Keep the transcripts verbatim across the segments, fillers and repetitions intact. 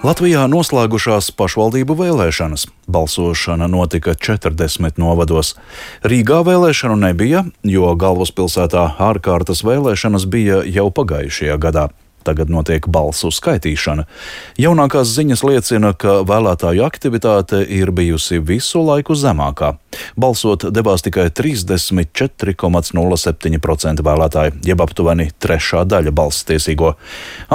Latvijā noslēgušās pašvaldību vēlēšanas. Balsošana notika četrdesmit novados. Rīgā vēlēšanu nebija, jo galvaspilsētā ārkārtas vēlēšanas bija jau pagājušajā gadā. Tagad notiek balsu skaitīšana. Jaunākās ziņas liecina, ka vēlētāju aktivitāte ir bijusi visu laiku zemākā. Balsot devās tikai trīsdesmit četri komats nulle septiņi procenti vēlētāji, jeb aptuveni trešā daļa balsstiesīgo.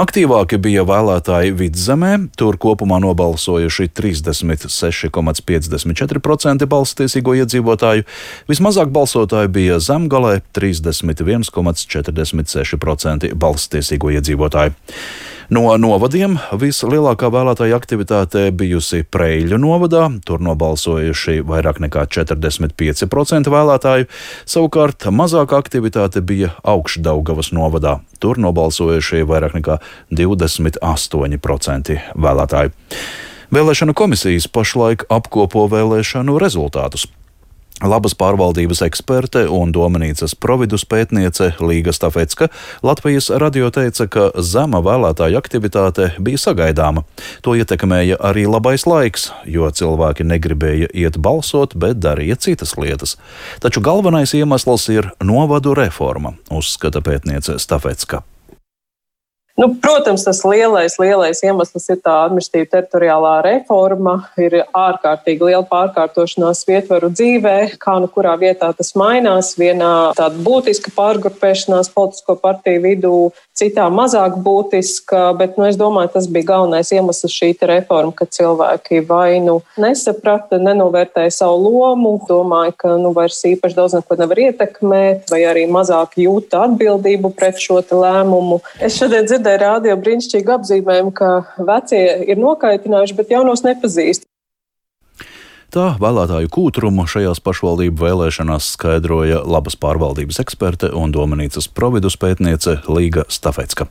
Aktīvāki bija vēlētāji Vidzemē, tur kopumā nobalsojuši trīsdesmit seši komats piecdesmit četri procenti balsstiesīgo iedzīvotāju. Vismazāk balsotāji bija Zemgalē, trīsdesmit viens komats četrdesmit seši procenti balsstiesīgo iedzīvotāju. No novadiem vislielākā vēlētāja aktivitāte bijusi Preiļu novadā, tur nobalsojuši vairāk nekā četrdesmit pieci procenti vēlētāju, savukārt mazāka aktivitāte bija Augšdaugavas novadā, tur nobalsojuši vairāk nekā divdesmit astoņi procenti vēlētāju. Vēlēšanu komisijas pašlaik apkopo vēlēšanu rezultātus. Labas pārvaldības eksperte un Domanīcas providus pētniece Līga Stafecka Latvijas radio teica, ka zema vēlētāju aktivitāte bija sagaidāma. To ietekmēja arī labais laiks, jo cilvēki negribēja iet balsot, bet darīja citas lietas. Taču galvenais iemesls ir novadu reforma, uzskata pētniece Stafecka. Nu, protams, tas lielais, lielais iemesls ir tā administratīva teritoriālā reforma, ir ārkārtīgi liela pārkārtošanās vietvaru dzīvē, kā nu kurā vietā tas mainās, vienā tāda būtiska pārgrupēšanās politisko partiju vidū, citā mazāk būtiska, bet nu, es domāju, tas bija galvenais iemesls šī reforma, ka cilvēki vai nu nesaprata, nenovērtēja savu lomu, domāja, ka nu, vairs īpaši daudz neko nevar ietekmēt, vai arī mazāk jūta atbildību pret šo lēmumu. Es šodien dzirdēju rādio brīnišķīgu apzīmējumu, ka vecie ir nokaitinājuši, bet jaunos nepazīst. Tā vēlētāju kūtrumu šajās pašvaldību vēlēšanās skaidroja labas pārvaldības eksperte un Domanīcas providus pētniece Līga Stafecka.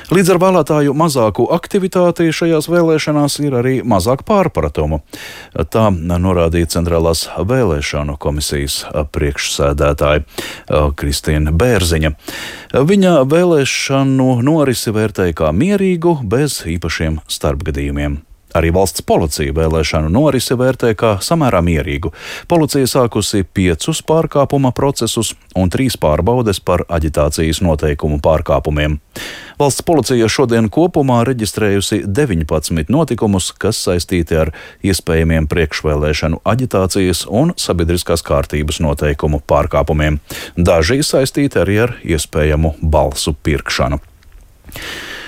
Līdz ar vēlētāju mazāku aktivitāti šajās vēlēšanās ir arī mazāk pārpratumu. Tā norādīja Centrālās vēlēšanu komisijas priekšsēdētāja Kristīna Bērziņa. Viņa vēlēšanu norisi vērtēja kā mierīgu, bez īpašiem starpgadījumiem. Arī valsts policija vēlēšanu norisi vērtē kā samērā mierīgu. Policija sākusi piecus pārkāpuma procesus un trīs pārbaudes par aģitācijas noteikumu pārkāpumiem. Valsts policija šodien kopumā reģistrējusi deviņpadsmit notikumus, kas saistīti ar iespējamiem priekšvēlēšanu aģitācijas un sabiedriskās kārtības noteikumu pārkāpumiem. Daži saistīti arī ar iespējamu balsu pirkšanu.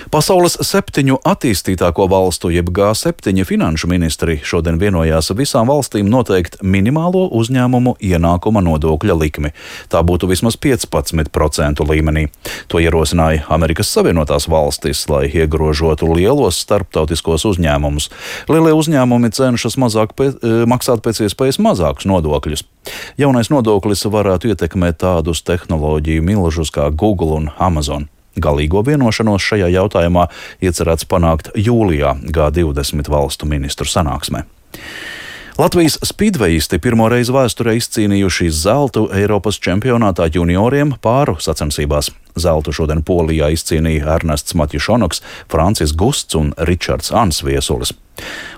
Pasaules septiņu attīstītāko valstu, jeb G septiņi finanšu ministri šodien vienojās visām valstīm noteikt minimālo uzņēmumu ienākuma nodokļa likmi. Tā būtu vismaz piecpadsmit procentu līmenī. To ierosināja Amerikas Savienotās valstis, lai iegrožotu lielos starptautiskos uzņēmumus. Lielie uzņēmumi cenšas mazāk pēc, maksāt pēc iespējas mazākus nodokļus. Jaunais nodoklis varētu ietekmēt tādus tehnoloģiju milžus kā Google un Amazon. Galīgo vienošanos šajā jautājumā iecerēts panākt jūlijā G divdesmit valstu ministru sanāksmē. Latvijas spīdvejisti pirmo reizi vēsturē izcīnījuši zeltu Eiropas čempionātā junioriem pāru sacensībās. Zeltu šodien Polijā izcīnīja Ernests Matjušonoks, Francis Gusts un Ričards Ansviesulis.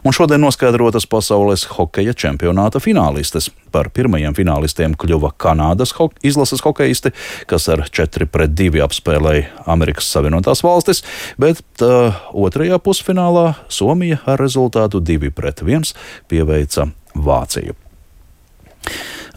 Un šodien noskaidrotas pasaules hokeja čempionāta finālistes. Par pirmajiem finālistiem kļuva Kanādas ho- izlases hokejisti, kas ar četri pret divi apspēlēja Amerikas Savienotās valstis, bet tā, otrajā pusfinālā Somija ar rezultātu divi pret viens pieveica Vāciju.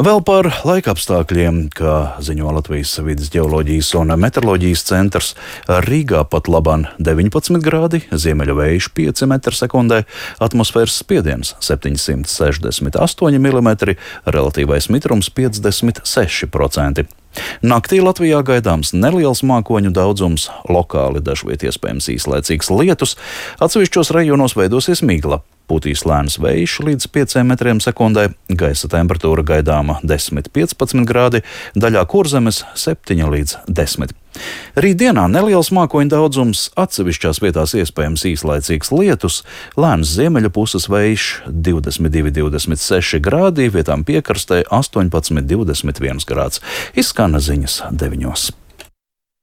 Vēl par laikapstākļiem, kā ziņo Latvijas vides ģeoloģijas un meteoroloģijas centrs, Rīgā pat labāk deviņpadsmit grādi, ziemeļu vējš pieci metri sekundē, atmosfēras spiediens septiņsimt sešdesmit astoņi milimetri, relatīvais mitrums piecdesmit seši procenti. Naktī Latvijā gaidāms neliels mākoņu daudzums, lokāli dažviet iespējams īslaicīgs lietus, atsevišķos rajonos veidosies migla. Pūtīs lēns vējš līdz pieciem metriem sekundē, gaisa temperatūra gaidāma desmit līdz piecpadsmit grādi, daļā Kurzemes septiņi līdz desmit. Rītdienā neliels mākoņu daudzums, atsevišķās vietās iespējams īslaicīgs lietus, lēns ziemeļu puses vējš divdesmit divi līdz divdesmit seši grādi, vietām piekrastē astoņpadsmit līdz divdesmit viens grāds. Izskan ziņas deviņos.